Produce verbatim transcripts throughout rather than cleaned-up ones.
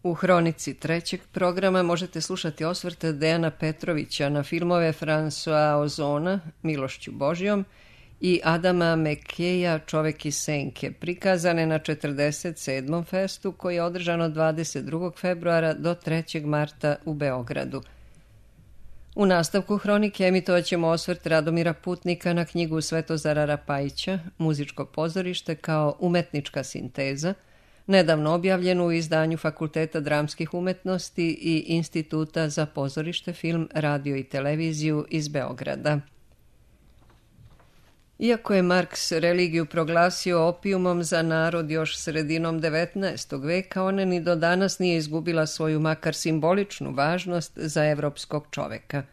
U hronici trećeg programa možete slušati osvrte Dejana Petrovića na filmove François Ozona, Milošću Božjom, i Adama Mekeja, Čovek iz senke, prikazane na četrdeset sedmom festu koji je održan od dvadeset drugog februara do trećeg marta u Beogradu. U nastavku hronike emitovat ćemo osvrt Radomira Putnika na knjigu Svetozara Rapajića, Muzičko pozorište kao umetnička sinteza, nedavno objavljenu u izdanju Fakulteta dramskih umetnosti i Instituta za pozorište, film, radio i televiziju iz Beograda. Iako je Marks religiju proglasio opijumom za narod još sredinom devetnaestog veka, ona ni do danas nije izgubila svoju makar simboličnu važnost za evropskog čoveka.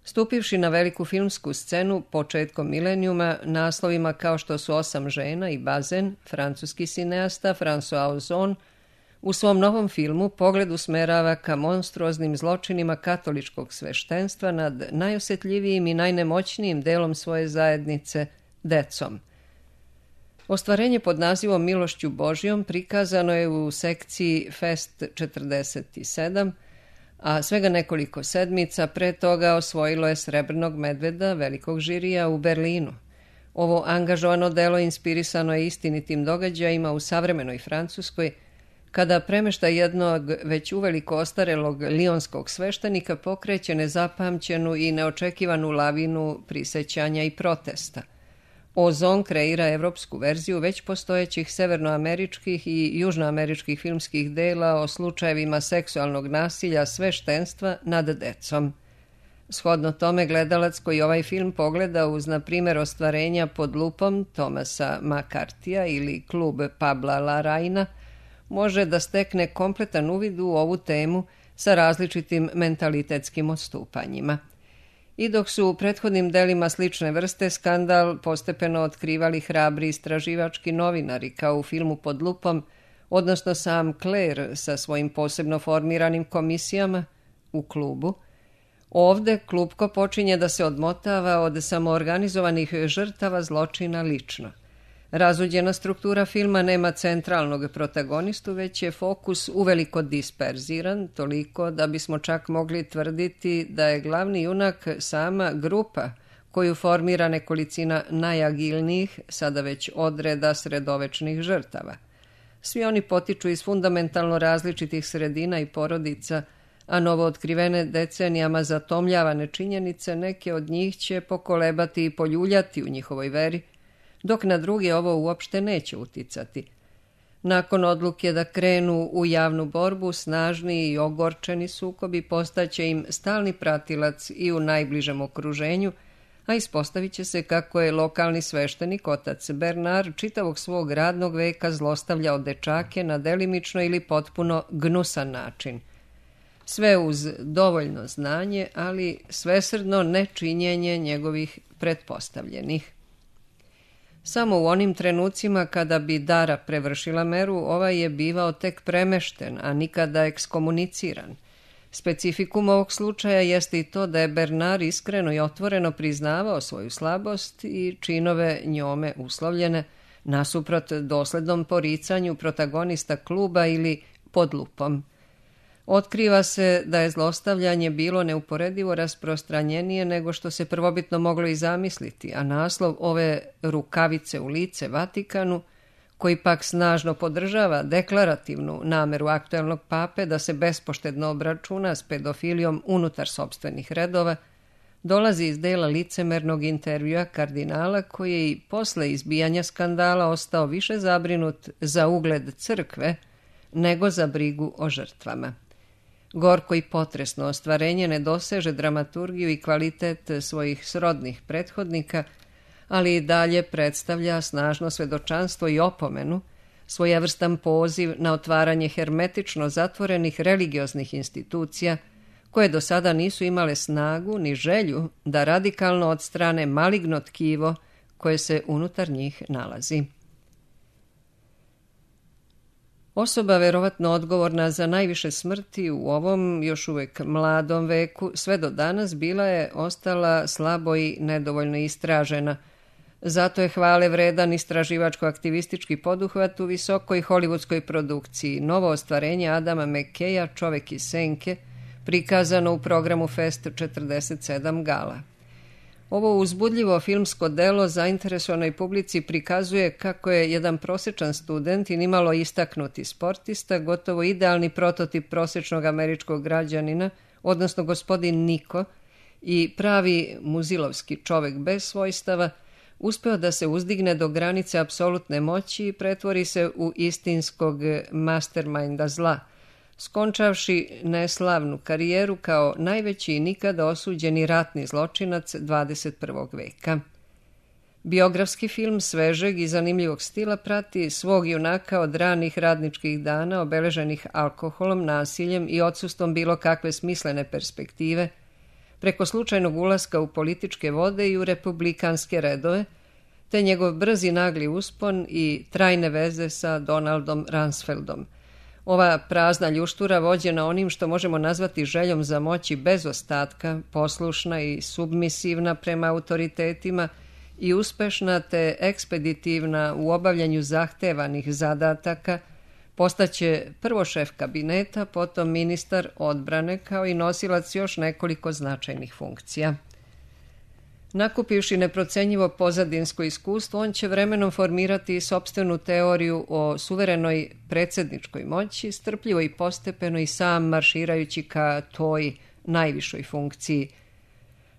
Stupivši na veliku filmsku scenu početkom milenijuma naslovima kao što su Osam žena i Bazen, francuski sineasta François Ozon u svom novom filmu pogled usmerava ka monstruoznim zločinima katoličkog sveštenstva nad najosjetljivijim i najnemoćnijim delom svoje zajednice, decom. Ostvarenje pod nazivom Milošću Božjom prikazano je u sekciji Fest četrdeset sedam, a svega nekoliko sedmica pre toga osvojilo je Srebrnog medveda velikog žirija u Berlinu. Ovo angažovano delo inspirisano je istinitim događajima u savremenoj Francuskoj, kada premeštaj jednog već uveliko ostarelog lionskog sveštenika pokreće nezapamćenu i neočekivanu lavinu prisećanja i protesta. Ozon kreira evropsku verziju već postojećih severnoameričkih i južnoameričkih filmskih dela o slučajevima seksualnog nasilja sveštenstva nad decom. Shodno tome, gledalac koji ovaj film pogleda uz, na primjer, ostvarenja Pod lupom Thomasa McCarthyja ili Klub Pabla Larraina, može da stekne kompletan uvid u ovu temu sa različitim mentalitetskim odstupanjima. I dok su u prethodnim delima slične vrste skandal postepeno otkrivali hrabri istraživački novinari kao u filmu Pod lupom, odnosno sam Claire sa svojim posebno formiranim komisijama u Klubu, ovde klupko počinje da se odmotava od samoorganizovanih žrtava zločina lično. Razuđena struktura filma nema centralnog protagonistu, već je fokus uveliko disperziran, toliko da bismo čak mogli tvrditi da je glavni junak sama grupa koju formira nekolicina najagilnijih, sada već odreda sredovečnih žrtava. Svi oni potiču iz fundamentalno različitih sredina i porodica, a novootkrivene decenijama zatomljavane činjenice neke od njih će pokolebati i poljuljati u njihovoj veri, dok na druge ovo uopšte neće uticati. Nakon odluke da krenu u javnu borbu, snažni i ogorčeni sukobi postaće im stalni pratilac i u najbližem okruženju, a ispostavit će se kako je lokalni sveštenik otac Bernard čitavog svog radnog veka zlostavljao dečake na delimično ili potpuno gnusan način. Sve uz dovoljno znanje, ali svesrdno nečinjenje njegovih pretpostavljenih. Samo u onim trenucima kada bi Dara prevršila meru, ovaj je bivao tek premešten, a nikada ekskomuniciran. Specifikum ovog slučaja jeste i to da je Bernard iskreno i otvoreno priznavao svoju slabost i činove njome uslovljene, nasuprot doslednom poricanju protagonista Kluba ili Pod lupom. Otkriva se da je zlostavljanje bilo neuporedivo rasprostranjenije nego što se prvobitno moglo i zamisliti, a naslov ove rukavice u lice Vatikanu, koji pak snažno podržava deklarativnu nameru aktuelnog pape da se bespoštedno obračuna s pedofilijom unutar sopstvenih redova, dolazi iz dela licemernog intervjua kardinala koji je i posle izbijanja skandala ostao više zabrinut za ugled crkve nego za brigu o žrtvama. Gorko i potresno ostvarenje ne doseže dramaturgiju i kvalitet svojih srodnih prethodnika, ali i dalje predstavlja snažno svedočanstvo i opomenu, svojevrstan poziv na otvaranje hermetično zatvorenih religioznih institucija koje do sada nisu imale snagu ni želju da radikalno odstrane maligno tkivo koje se unutar njih nalazi. Osoba verovatno odgovorna za najviše smrti u ovom još uvek mladom veku sve do danas bila je ostala slabo i nedovoljno istražena, Zato je hvale vredan istraživačko-aktivistički poduhvat u visokoj hollywoodskoj produkciji Novo ostvarenje Adama McKeya, Čovek iz senke, prikazano u programu Fest četrdeset sedam Gala. Ovo uzbudljivo filmsko delo zainteresovanoj publici prikazuje kako je jedan prosječan student i nimalo istaknuti sportista, gotovo idealni prototip prosječnog američkog građanina, odnosno gospodin Niko, i pravi muzilovski čovek bez svojstava, uspeo da se uzdigne do granice apsolutne moći i pretvori se u istinskog masterminda zla, skončavši neslavnu karijeru kao najveći i nikada osuđeni ratni zločinac dvadeset prvog veka. Biografski film svežeg i zanimljivog stila prati svog junaka od ranih radničkih dana obeleženih alkoholom, nasiljem i odsustvom bilo kakve smislene perspektive, preko slučajnog ulaska u političke vode i u republikanske redove, te njegov brzi nagli uspon i trajne veze sa Donaldom Rumsfeldom. Ova prazna ljuštura vođena onim što možemo nazvati željom za moći bez ostatka, poslušna i submisivna prema autoritetima i uspešna te ekspeditivna u obavljanju zahtevanih zadataka, postaće prvo šef kabineta, potom ministar odbrane, kao i nosilac još nekoliko značajnih funkcija. Nakupivši neprocenjivo pozadinsko iskustvo, on će vremenom formirati sopstvenu teoriju o suverenoj predsjedničkoj moći, strpljivo i postepeno i sam marširajući ka toj najvišoj funkciji.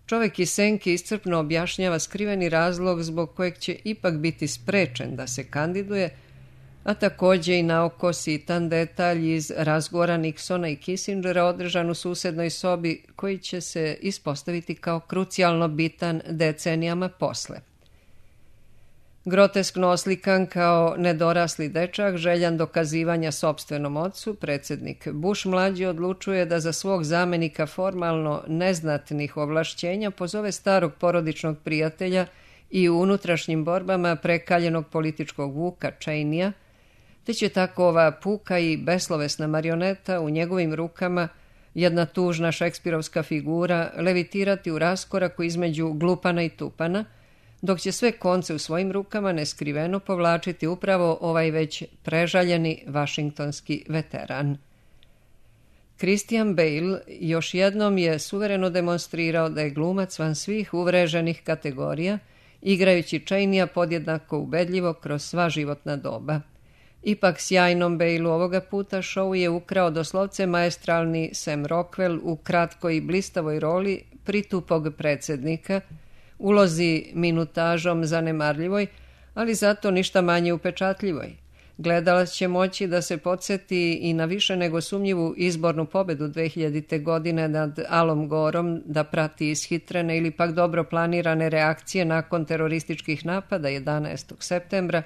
Čovek iz senke iscrpno objašnjava skriveni razlog zbog kojeg će ipak biti sprečen da se kandiduje, a također i naoko sitan detalj iz razgovora Nixona i Kissingera održan u susednoj sobi, koji će se ispostaviti kao krucijalno bitan decenijama posle. Groteskno oslikan kao nedorasli dečak, željan dokazivanja sopstvenom ocu, predsjednik Bush mlađi odlučuje da za svog zamenika formalno neznatnih ovlašćenja pozove starog porodičnog prijatelja i u unutrašnjim borbama prekaljenog političkog vuka Cheneya, te će tako ova puka i beslovesna marioneta u njegovim rukama, jedna tužna šekspirovska figura, levitirati u raskoraku između glupana i tupana, dok će sve konce u svojim rukama neskriveno povlačiti upravo ovaj već prežaljeni vašingtonski veteran. Christian Bale još jednom je suvereno demonstrirao da je glumac van svih uvreženih kategorija, igrajući Cheneya podjednako ubedljivo kroz sva životna doba. Ipak sjajnom Baleu ovoga puta show je ukrao doslovce maestralni Sam Rockwell u kratkoj i blistavoj roli pritupog predsjednika, ulozi minutažom zanemarljivoj, ali zato ništa manje upečatljivoj. Gledalac će moći da se podsjeti i na više nego sumnjivu izbornu pobedu dve hiljadite. godine nad Alom Gorom, da prati ishitrene ili pak dobro planirane reakcije nakon terorističkih napada jedanaestog septembra,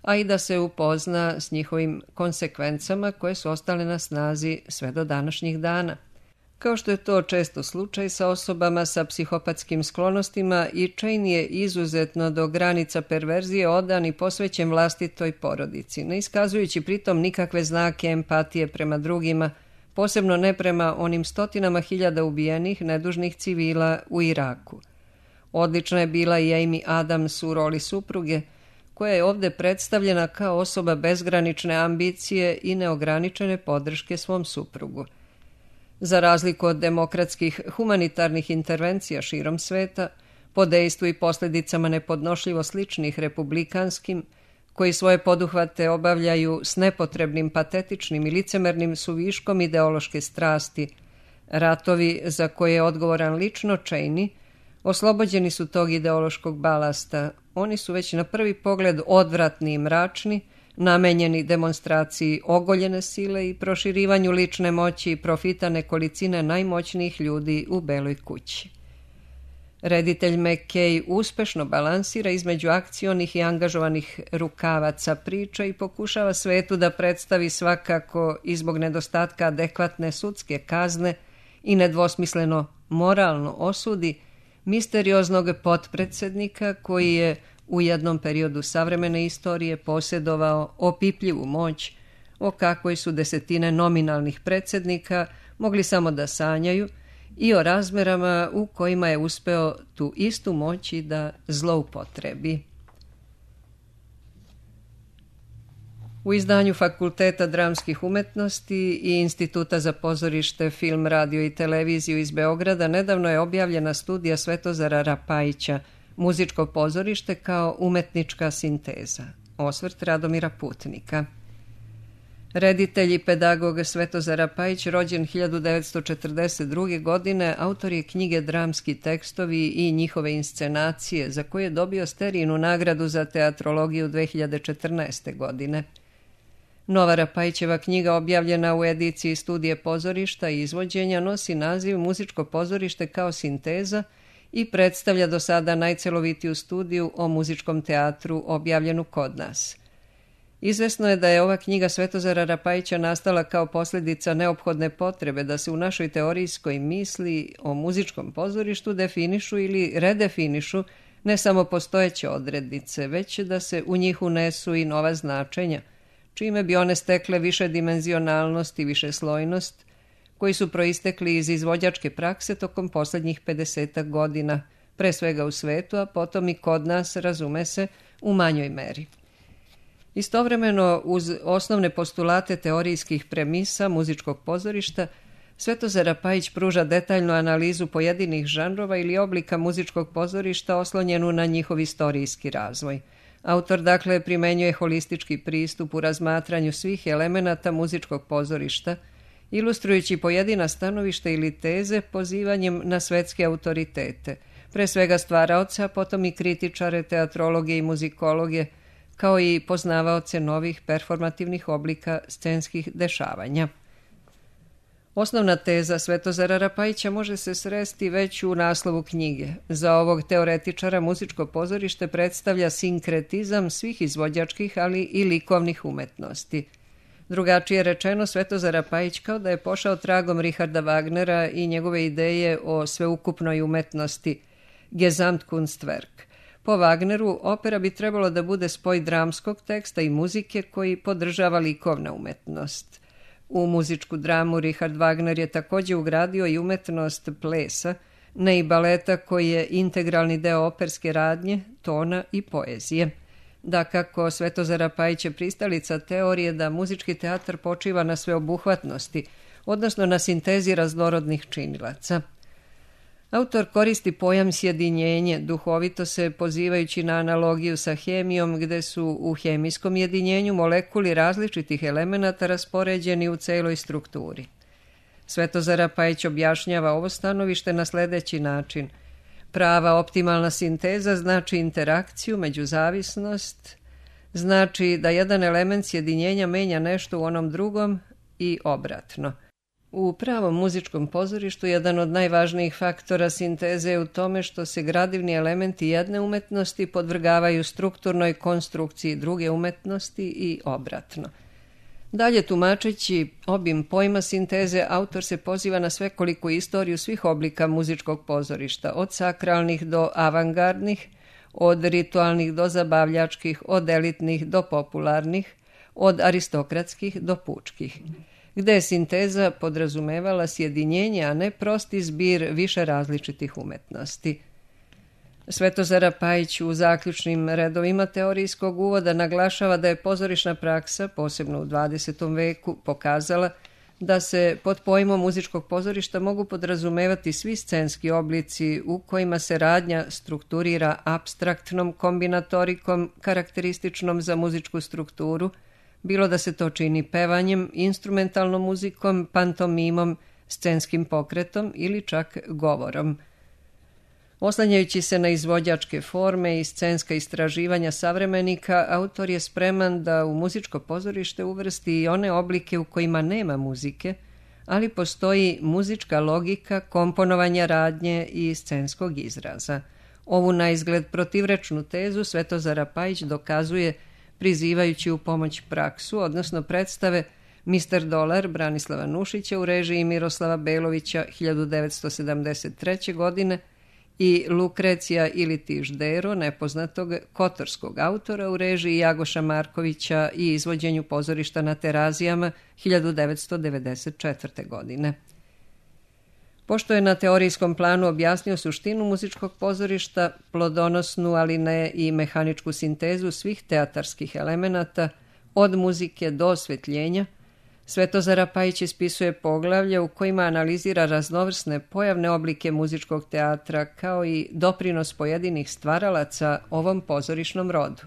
a i da se upozna s njihovim konsekvencama koje su ostale na snazi sve do današnjih dana. Kao što je to često slučaj sa osobama sa psihopatskim sklonostima, i Cheney je izuzetno do granica perverzije odan i posvećen vlastitoj porodici, ne iskazujući pritom nikakve znake empatije prema drugima, posebno ne prema onim stotinama hiljada ubijenih nedužnih civila u Iraku. Odlična je bila i Amy Adams u roli supruge, koja je ovdje predstavljena kao osoba bezgranične ambicije i neograničene podrške svom suprugu. Za razliku od demokratskih humanitarnih intervencija širom sveta, po dejstvu i posljedicama nepodnošljivo sličnih republikanskim, koji svoje poduhvate obavljaju s nepotrebnim, patetičnim i licemernim suviškom ideološke strasti, ratovi za koje je odgovoran lično Cheney, oslobođeni su tog ideološkog balasta. Oni su već na prvi pogled odvratni i mračni, namenjeni demonstraciji ogoljene sile i proširivanju lične moći i profita nekolicine najmoćnijih ljudi u Beloj kući. Reditelj McKay uspešno balansira između akcionih i angažovanih rukavaca priča i pokušava svetu da predstavi svakako i zbog nedostatka adekvatne sudske kazne i nedvosmisleno moralno osudi misterioznog potpredsjednika koji je u jednom periodu savremene istorije posjedovao opipljivu moć, o kakvoj su desetine nominalnih predsjednika mogli samo da sanjaju i o razmerama u kojima je uspeo tu istu moći da zloupotrebi. U izdanju Fakulteta dramskih umetnosti i Instituta za pozorište, film, radio i televiziju iz Beograda nedavno je objavljena studija Svetozara Rapajića Muzičko pozorište kao umetnička sinteza. Osvrt Radomira Putnika. Reditelj i pedagog Svetozar Rapajić, rođen hiljadu devetsto četrdeset druge. godine, autor je knjige Dramski tekstovi i njihove inscenacije, za koje je dobio Sterijinu nagradu za teatrologiju dve hiljade četrnaeste. godine. Nova Rapajićeva knjiga, objavljena u ediciji Studije pozorišta i izvođenja, nosi naziv Muzičko pozorište kao sinteza i predstavlja do sada najcelovitiju studiju o muzičkom teatru objavljenu kod nas. Izvesno je da je ova knjiga Svetozara Rapajića nastala kao posljedica neophodne potrebe da se u našoj teorijskoj misli o muzičkom pozorištu definišu ili redefinišu ne samo postojeće odrednice, već da se u njih unesu i nova značenja, čime bi one stekle više dimenzionalnost i višeslojnost, koji su proistekli iz izvođačke prakse tokom posljednjih pedesetak godina, pre svega u svetu, a potom i kod nas, razume se, u manjoj meri. Istovremeno, uz osnovne postulate teorijskih premisa muzičkog pozorišta, Svetozar Rapajić pruža detaljnu analizu pojedinih žanrova ili oblika muzičkog pozorišta oslonjenu na njihov istorijski razvoj. Autor dakle primenjuje holistički pristup u razmatranju svih elemenata muzičkog pozorišta, ilustrujući pojedina stanovišta ili teze pozivanjem na svetske autoritete, pre svega stvaraoca, potom i kritičare, teatrologe i muzikologe, kao i poznavaoce novih performativnih oblika scenskih dešavanja. Osnovna teza Svetozara Rapajića može se sresti već u naslovu knjige. Za ovog teoretičara muzičko pozorište predstavlja sinkretizam svih izvođačkih, ali i likovnih umetnosti. Drugačije rečeno, Svetozar Rapajić kao da je pošao tragom Richarda Wagnera i njegove ideje o sveukupnoj umetnosti, Gesamtkunstwerk. Po Wagneru, opera bi trebalo da bude spoj dramskog teksta i muzike koji podržava likovna umetnost. U muzičku dramu Richard Wagner je također ugradio i umetnost plesa, ne i baleta koji je integralni deo operske radnje, tona i poezije. Dakako, Svetozar Rapajić je pristalica teorije da muzički teatar počiva na sveobuhvatnosti, odnosno na sintezi raznorodnih činilaca. Autor koristi pojam sjedinjenje, duhovito se pozivajući na analogiju sa hemijom, gde su u hemijskom jedinjenju molekuli različitih elemenata raspoređeni u celoj strukturi. Svetozar Rapajić objašnjava ovo stanovište na sledeći način. Prava optimalna sinteza znači interakciju, međuzavisnost, znači da jedan element sjedinjenja menja nešto u onom drugom i obratno. U pravom muzičkom pozorištu jedan od najvažnijih faktora sinteze je u tome što se gradivni elementi jedne umetnosti podvrgavaju strukturnoj konstrukciji druge umetnosti i obratno. Dalje, tumačeći obim pojma sinteze, autor se poziva na svekoliku istoriju svih oblika muzičkog pozorišta, od sakralnih do avangardnih, od ritualnih do zabavljačkih, od elitnih do popularnih, od aristokratskih do pučkih, gde je sinteza podrazumevala sjedinjenje, a ne prosti zbir više različitih umetnosti. Svetozar Rapajić u zaključnim redovima teorijskog uvoda naglašava da je pozorišna praksa, posebno u dvadesetom veku, pokazala da se pod pojmom muzičkog pozorišta mogu podrazumevati svi scenski oblici u kojima se radnja strukturira apstraktnom kombinatorikom karakterističnom za muzičku strukturu, bilo da se to čini pevanjem, instrumentalnom muzikom, pantomimom, scenskim pokretom ili čak govorom. Oslanjajući se na izvođačke forme i scenska istraživanja savremenika, autor je spreman da u muzičko pozorište uvrsti i one oblike u kojima nema muzike, ali postoji muzička logika komponovanja radnje i scenskog izraza. Ovu naizgled protivrečnu tezu Svetozar Rapajić dokazuje prizivajući u pomoć praksu, odnosno predstave mister Dolar Branislava Nušića u režiji Miroslava Belovića hiljadu devetsto sedamdeset treće. godine i Lukrecija ili Tiždero, nepoznatog kotorskog autora u režiji Jagoša Markovića i izvođenju pozorišta na Terazijama hiljadu devetsto devedeset četvrte. godine. Pošto je na teorijskom planu objasnio suštinu muzičkog pozorišta, plodonosnu, ali ne i mehaničku sintezu svih teatarskih elemenata, od muzike do osvetljenja, Svetozar Rapajić ispisuje poglavlje u kojima analizira raznovrsne pojavne oblike muzičkog teatra kao i doprinos pojedinih stvaralaca ovom pozorišnom rodu.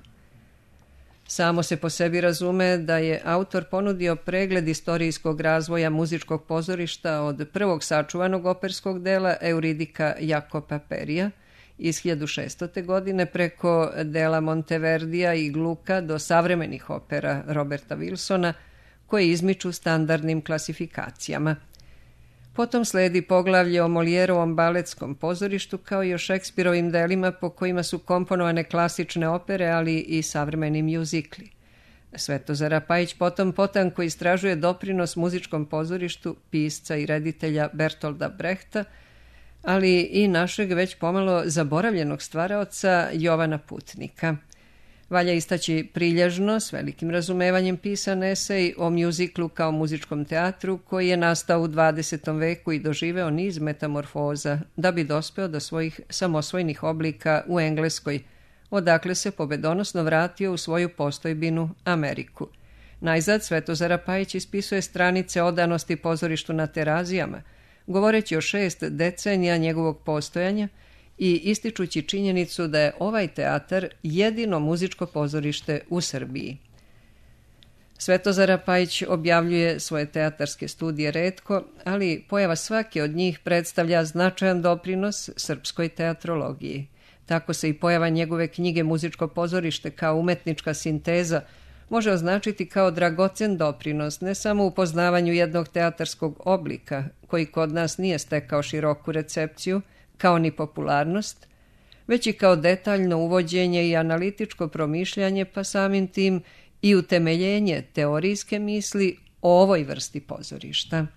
Samo se po sebi razume da je autor ponudio pregled istorijskog razvoja muzičkog pozorišta od prvog sačuvanog operskog dela Euridika Jakopa Perija iz hiljadu šeststote. godine preko dela Monteverdija i Gluka do savremenih opera Roberta Wilsona koje izmiču standardnim klasifikacijama. Potom sledi poglavlje o Molijerovom baletskom pozorištu kao i o Šekspirovim delima po kojima su komponovane klasične opere, ali i savremeni mjuzikli. Svetozar Rapajić potom potanko istražuje doprinos muzičkom pozorištu pisca i reditelja Bertolda Brehta, ali i našeg već pomalo zaboravljenog stvaraoca Jovana Putnika. Valja istaći prilježno, s velikim razumevanjem pisan esej o mjuziklu kao muzičkom teatru koji je nastao u dvadesetom veku i doživeo niz metamorfoza da bi dospeo do svojih samosvojnih oblika u Engleskoj, odakle se pobedonosno vratio u svoju postojbinu Ameriku. Najzad Svetozar Rapajić ispisuje stranice odanosti pozorištu na Terazijama, govoreći o šest decenija njegovog postojanja i ističući činjenicu da je ovaj teatar jedino muzičko pozorište u Srbiji. Svetozar Rapajić objavljuje svoje teatarske studije retko, ali pojava svake od njih predstavlja značajan doprinos srpskoj teatrologiji. Tako se i pojava njegove knjige Muzičko pozorište kao umetnička sinteza može označiti kao dragocen doprinos ne samo u poznavanju jednog teatarskog oblika, koji kod nas nije stekao široku recepciju, kao ni popularnost, već i kao detaljno uvođenje i analitičko promišljanje, pa samim tim i utemeljenje teorijske misli o ovoj vrsti pozorišta.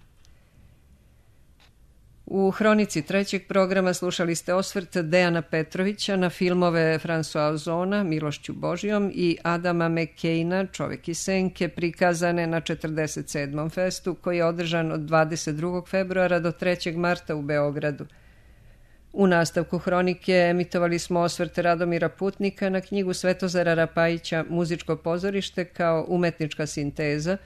U hronici trećeg programa slušali ste osvrt Dejana Petrovića na filmove François Ozona, Milošću Božijom i Adama McCaina, Čovek iz senke, prikazane na četrdeset sedmom festu koji je održan od dvadeset drugog februara do trećeg marta u Beogradu. U nastavku hronike emitovali smo osvrt Radomira Putnika na knjigu Svetozara Rapajića Muzičko pozorište kao umetnička sinteza,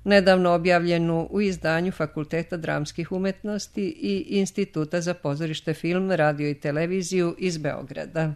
nedavno objavljenu u izdanju Fakulteta dramskih umetnosti i Instituta za pozorište, film, radio i televiziju iz Beograda.